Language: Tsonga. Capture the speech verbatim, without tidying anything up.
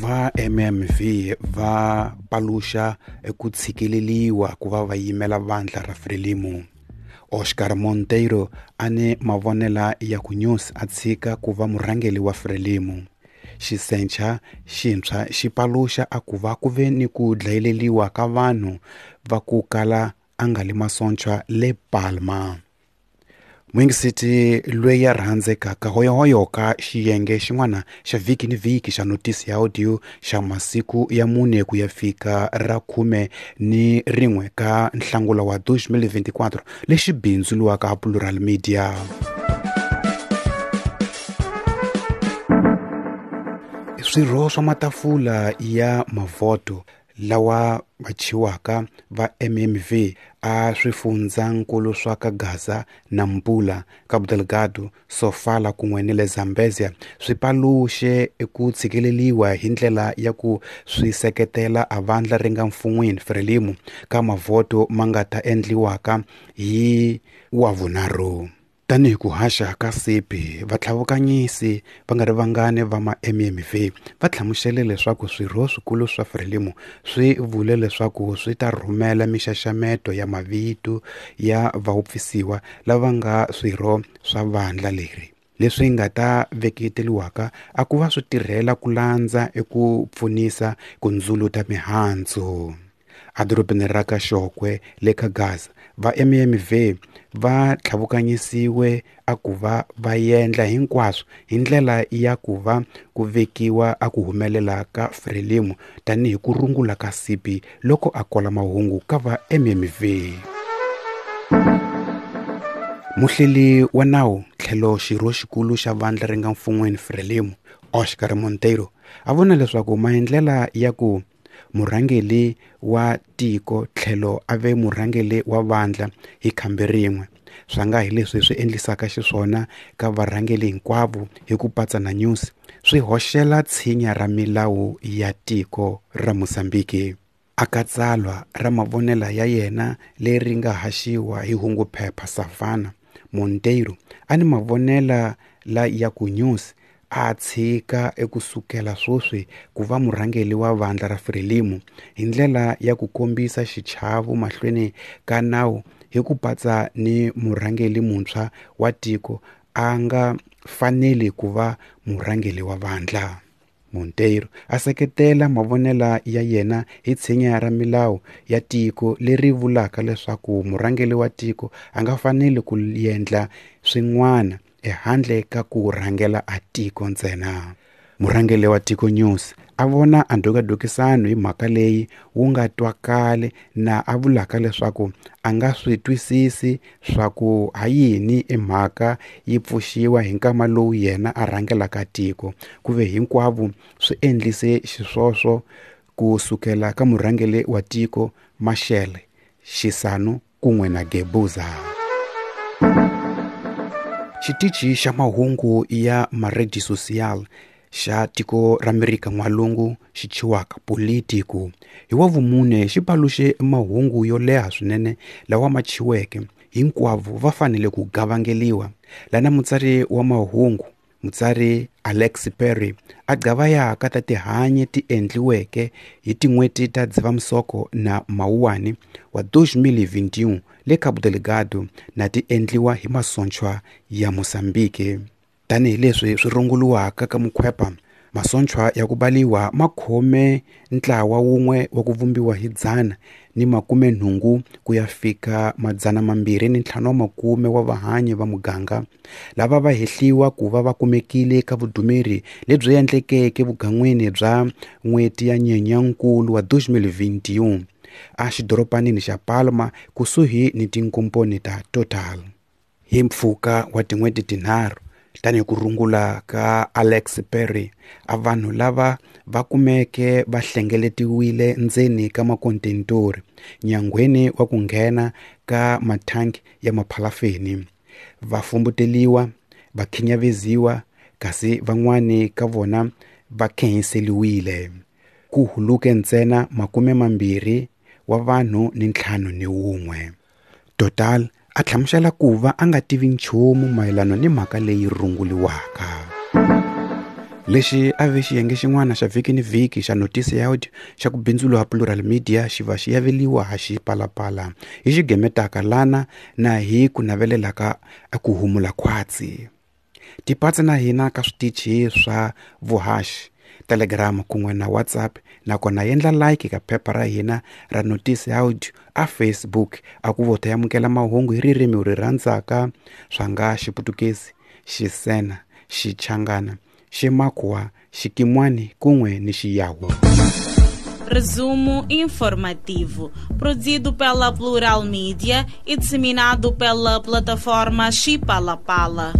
Va M M V va paluxa eku tshikeleliwa ku va va yimela vandla ra Frelimo. Oscar Monteiro a ni mavonela ya ku Nyusi a tshika ku va murhangeri wa Frelimo. Xisencha xintshwa xi paluxa a ku va ku ve ni ku dlayeleliwa ka vanhu va ku kala a nga li masontshwa le Palma. Mwingisiti loyi ya rhandzekaka hoyohoyo ka xiyenge xin'wana xa vhiki ni vhiki xa notisi ya audio xa masiku ya mune ku ya fika ra khume ni rin'we ka nhlangula wa two thousand twenty-four lexi bindzuriwaka Plural Media. Swirho swa matafula ya mavhoto lawa va chiwaka va M M V a swifundzankulu swa ka Gaza na Nampula, Cabo Delgado, Sofala kun'we ni le Zambezia swi paluxe eku tshikeleliwa hi ndlela ya ku swi seketela a vandla ri nga mfun'wini Frelimo ka mavhoto ma nga ta endliwaka hi wavunharhu. Tanihi ku haxa ka sipi, vatlhavukanyisi va nga ri vangani va ma M M V va hlamusele leswaku swirho swikulu swa Frelimo swi vule leswaku swi ta rhumela mixaxameto ya mavito ya vawupfisiwa lava nga swirho swa vandla leri, leswi nga ta veketeliwaka a ku va swi tirhela ku landza eku pfunisa ku ndzuluta mihandzu. Edorobeni ra ka Xokwe le ka Gaza, va M M V va tlhavukanyisiwe a ku va va endla hinkwaswo hi ndlela ya ku va ku vekiwa a ku humelela ka Frelimo tanihi ku rungula ka sipi loko a kola mahungu ka va M M V. Muhleli wa nawu tlhelo xirho xikulu xa vandla ri nga mfun'weni Frelimo, Oscar Monteiro, a vona leswaku maendlela ya ku murhangeri wa tiko tlhelo a ve murhangeri wa vandla hi khambi rin'we swa nga hi leswi swi endlisaka xiswona ka varhangeri hinkwavo hi ku patsa na Nyusi swi hoxela tshinya ra milawu ya tiko ra Mozambique. Aka tsalwa ra mavonela ya yena leri nga haxiwa hi hunguphepha Savannah, Monteiro a ni mavonela la ya ku Nyusi a tshika ekusukela swoswi ku va murhangeri wa vandla ra Frelimo hi ndlela ya ku kombisa xichavo mahlweni ka nawu hi ku patsa ni murhangeri muntshwa wa tiko a nga faneli ku va murhangeri wa vandla. Monteiro a seketela mavonela ya yena hi tshinya ra milawu ya tiko leri vulaka leswaku murhangeri wa tiko a nga faneli ku endla swin'wana ehandle ka ku rhangela a tiko ntsena. Murhangeri wa tiko Nyusi a vona a ndhukadukisano hi mhaka leyi wu nga twakali na a vulaka leswaku a nga swi twisisi swa ku ha yini emhaka yi pfuxiwa hi nkama lowu yena a rhangelaka tiko, ku ve hinkwavo swi endlise xiswoswo ku sukela ka murhangeri wa tiko Machel Chissano kun'we na Guebuza. Xitichi xa mahungu ya Maredi Social xa tiko ra Amerika N'walungu xi chiwaka Politico hi wa vumune xi paluxe mahungu yo leha swinene lawa ma chiweke hinkwavo va fanele ku gavangeliwa. Lana mutsari wa mahungu mutsari Alex Perry a gavayaka ta tihanyi ti endliweke hi tin'hweti ta Dzivamisoko na Mawuwani wa twenty twenty-one le Cabo Delgado na ti endliwa hi masontshwa ya Mozambique. Tanihi leswi swi runguriwaka ka mukhwepa, masontshwa ya ku baliwa ma khome ntlawa wun'we wa ku vumbiwa hi dzana ni makume nhungu ku ya fika madzana mambirhi ni ntlhanu wa makume wa vahanyi va muganga lava va hehliwa ku va va kumekile ka vudumeri lebyi endlekeke vugan'wini bya n'hweti ya Nyenyankulu wa twenty twenty-one a xidoropanini xa Palma kusuhi ni tinkomponi ta Total. Hi mpfhuka wa tin'hweti tinharhu, tanihi ku rungula ka Alex Perry, a vanhu lava va kumeke va hlengeletiwile ndzeni ka makontentori nyangweni wa ku nghena ka mathanki ya maphalafeni, va fumbuteliwa, va khinyaveziwa, kasi van'wani ka vona va khenhiseliwile. Ku huluke ntsena makume mambirhi wa vanhu ni ntlhanu ni wun'we. Total a hlamusela ku va a nga tivi nchumu mayelana ni mhaka leyi runguriwaka. Lexi a ve xiyenge xin'wana xa vhiki ni vhiki xa notisi ya audio xa ku bindzula Plural Media xi va xi yaveliwa ha Xipalapala hi xigemetaka lana na hi ku navelelaka ku humula khwatsi. Tipatsi na hina ka switichi swa vuhaxi, Telegram kun'we na WhatsApp, nakona endla like ka phepha ra hina ra notisi ya audio a Facebook a ku vota yamukela mahungu hi ririmi ri rhandzaka swa nga Xiputukezi, Xisena, Xichangana, Ximakhuwa, Xikimwani kun'we ni Xiyawu. Resumo informativo, produzido pela Plural Media e disseminado pela plataforma Xipalapala.